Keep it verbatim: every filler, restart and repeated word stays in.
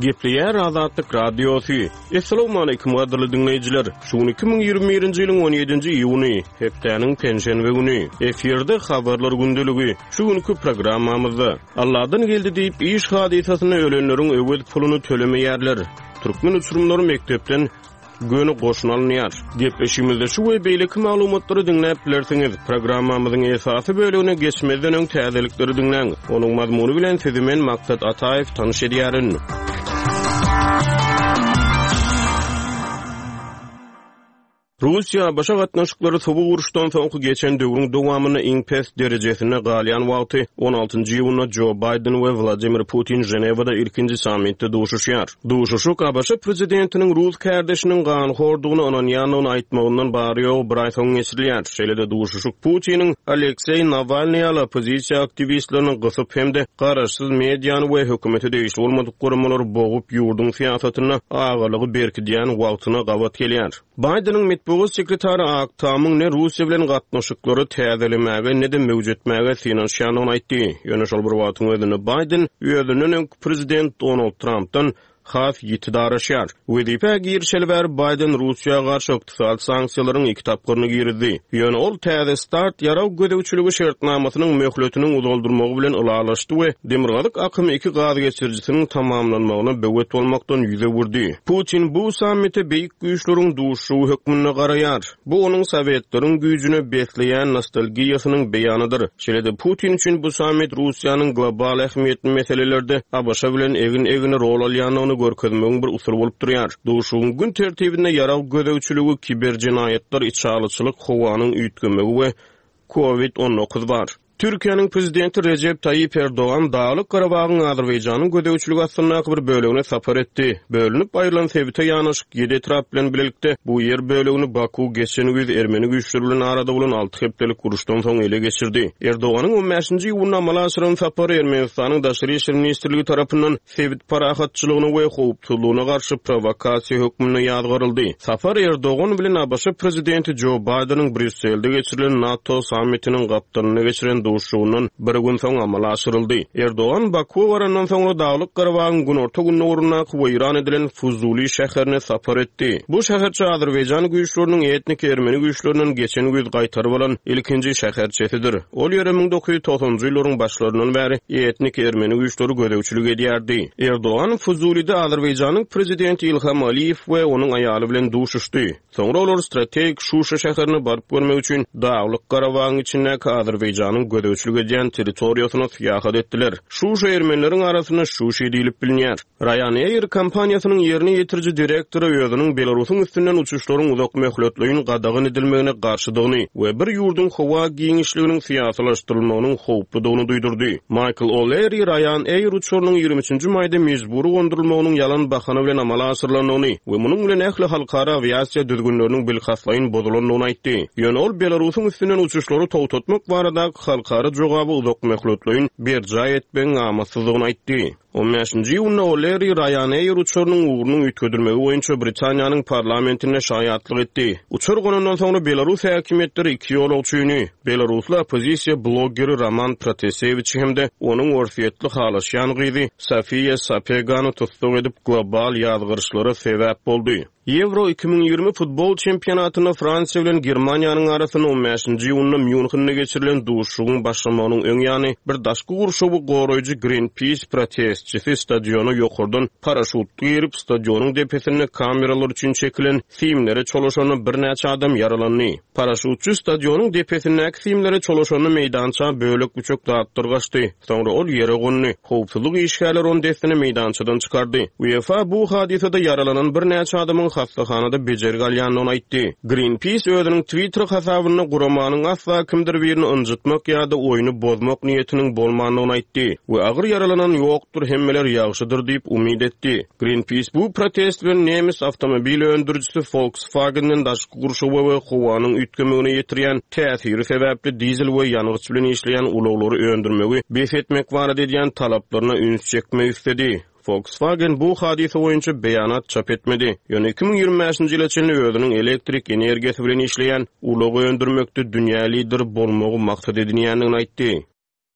Gepleýär Azatlyk Radiosy. Assalamualaikum gadyrly diňleýjiler. Şu gün iki müň ýigrimi birinji ýylyň on ýedinji iýuny, hepdäniň penşenbe güni. Efirde habarlar gündeligi. Şu günkü programmamyzda Allahdan geldi diýip iş hadysasynda ölenleriň öwez puluny tölemeýärler. Türkmen uçurymlary mekdepden göni goşun alynýar. Gepleşigimizde şu we beýleki maglumatlary diňläp bilersiňiz. Programmamyzyň esasy bölümine geçmezden öň täzelikleri diňläň. Onuň mazmuny bilen sizi men Maksat Ataýew tanyş edýärin. Russiýa A B Ş gatnaşyklary soňky uruşdan soňky geçen döwrüň dowamynda iň pes derejesinde galýan wagty on altynjy iýunda Joe Biden we Vladimir Putin Ženewada ilkinji sammitde duşuşýar. Duşuşyk A B Ş prezidentiniň Rus kardeşiniň ganhordugyny ynanýandygyny aýtmagyndan bary ýogy bir aý soň geçirilýär. Şeýle-de duşuşyk Putiniň Alekseý Nawalnyý ýaly oppozisiýa aktiwistlerini gysyp hem-de garaşsyz mediany we hökümete degişli bolmadyk guramalary bogup ýurduň syýasatynda agalygy berkidýän wagtyna gabat gelýär. Bideniň metbugat sekretary Ak Tamyň ne Russiýa bilen gatnaşyklary täzelemäge ne-de möwjetmäge synanyşýandygyny aýtdy. Ýöne şol bir wagtyň özünde Biden özünden öňki prezident Donald Trumpdan has ýiti daraşýar. Wezipe girişeli bäri Biden Russiýa garşy ykdysady sanksiýalaryň iki tapgyryny girdi. Ýöne ol täze start ýarag gözegçiligi şertnamasynyň möhletiniň uzaldyrmagy bilen ylalaşdy we Demirgazyk akym iki gaz geçirijisiniň tamamlanmagyna böwet bolmakdan ýüz öwürdi. Putin bu sammite beýik güýçleriň duşuşygy hökmünde garaýar. Bu onuň Sowetleriň güýjüne besleýän nostalgiýasynyň beýanydyr. Şeýle-de Putin üçin bu sammit Russiýanyň global ähmiýetli meselelerde A B Ş bilen egin-egine rol alýandygyny görkezmegiň bir usuly bolup durýar. Duşuşygyň gün tertibinde ýarag gözegçiligi, kiber jenaýatlar, içalyçylyk, howanyň üýtgemegi we COVID on dokuz bar. Türkiýäniň prezidenti Recep Tayyip Erdogan Daglyk Garabagyň Azerbaýjanyň gözegçiligi astyndaky bir bölegine sapar etdi. Bölünip aýrylan sebite ýanaşyk ýedi etrap bilen birlikde bu ýer bölegini Baku geçen güýz Ermeni güýçleri bilen arada bolan alty hepdelik uruşdan soň ele geçirdi. Erdoganyň on bäşinji iýunda amala aşyran sapary Ermenistanyň Daşary İşler Ministrligi tarapyndan sebit parahatçylygyna we howpsuzlygyna garşy provokasiýa hökmünde ýazgaryldy. Sapar Erdogan bilen A B Ş prezidenti Joe Bideniň Brýusselde geçirilen NATO sammitiniň gapdalynda geçiren duşuşygyndan bir gün soň amala aşyryldy. Erdogan Bakuwa barandan soňra Daglyk Garabagyň günorta gündogaryndaky weýran edilen Fuzuli şäherine sapar etdi. Bu şäherçe Azerbaýjan güýçleriniň etnik ermeni güýçlerinden geçen güýz gaýtaryp alan ilkinji şäherçesidir. Ol ýere müň dokuz ýüz togsanjy ýyllaryň başlaryndan bäri etnik ermeni güýçleri gözegçilik edýärdi. Erdogan Fuzulide Azerbaýjanyň prezidenti Ilham Aliýew we onuň aýaly bilen duşuşdy. Soňra olar strategik Şuşa şäherine baryp görmek üçin Daglyk Garabagyň içindäki Azerbaýjanyň gözegçilik edýän territoriýasyna syýahat etdiler. Şuşa ermenileriň arasynda Şuşi diýilip bilinýär. Ryanair kompaniýasynyň ýerine ýetiriji direktory özüniň Belarusyň üstünden uçuşlaryň uzak möhletleýin gadagan edilmegine garşydygyny we bir ýurduň howa giňişliginiň syýasylaşdyrylmagynyň howpludygyny duýdurdy. Michael O'Leary Ryanair uçarynyň ýigrimi üçünji maýda mejbury gondurylmagynyň ýalan bahana bilen amala aşyrylandygyny we munuň bilen ähli halkara awiasiýa düzgünleriniň bilkastlaýyn bozulandygyny aýtdy. Ýöne ol Belarusyň üstünden uçuşlary togtatmak baradaky halkara jogaby uzak möhletleýin berjaý etmegiň amatsyzlygyny aýtdy. On bäşinji iýunda O'Leary Ryanair uçarynyň ugrunyň üýtgedilmegi boýunça Britaniýanyň parlamentinde şaýatlyk etdi. Uçar gonandan soňra Belarus häkimiýetleri iki ýolagçyny, belarusly oppozisiýa bloggeri Roman Protasewiçi hem-de onuň orsýetli halaşýan gyzy Sofiýa Sapegany tussag edip global ýazgyryşlara sebäp boldy. Ýewro iki müň ýigrimi futbol çempionatynda Fransiýa bilen Germaniýanyň arasynda on bäşinji iýunda Mýunhende geçirilen duşuşygyň başlamagynyň öň ýany bir daşky gurşawy goraýjy Greenpeace protestçisi stadiona ýokardan paraşut girip stadionyň depesinde kameralar üçin çekilen simlere çolaşanda birnäçe adam ýaralandy. Paraşutçy stadionyň depesindäki simlere çolaşanda meýdança bölek-büçek zatlar gaçdy. Soňra ol ýere gondy. Howpsuzlyk işgärleri ony dessine meýdançadan çykardy. UEFA bu hadysada ýaralanan birnäçe adamyň hastahanada bejergi alýandygyny aýtdy. Greenpeace özüniň Twitter hasabynda guramanyň asla kimdir birini ynjytmak ýa-da oýny bozmak niýetiniň bolmandygyny aýtdy we agyr ýaralanan ýokdur, hemmeler ýagşydyr diýip umyt etdi. Greenpeace bu protest bilen nemes awtomobil öndürijisi Volkswagen'den daşky gurşawa we howanyň üýtgemegine ýetirýän täsiri sebäpli dizel we ýangyç bilen işleýän ulaglary öndürmegi bes etmek barada edýän talaplaryna üns çekmek istedi. Volkswagen bu hadysa boýunça beýanat çap etmedi. Ýöne iki müň ýigrimi bäşinji ýyla çenli özüniň elektrik energiýasy bilen işleýän ulag öndürmekde dünýä lideri bolmagy maksat edinýändigini aýtdy.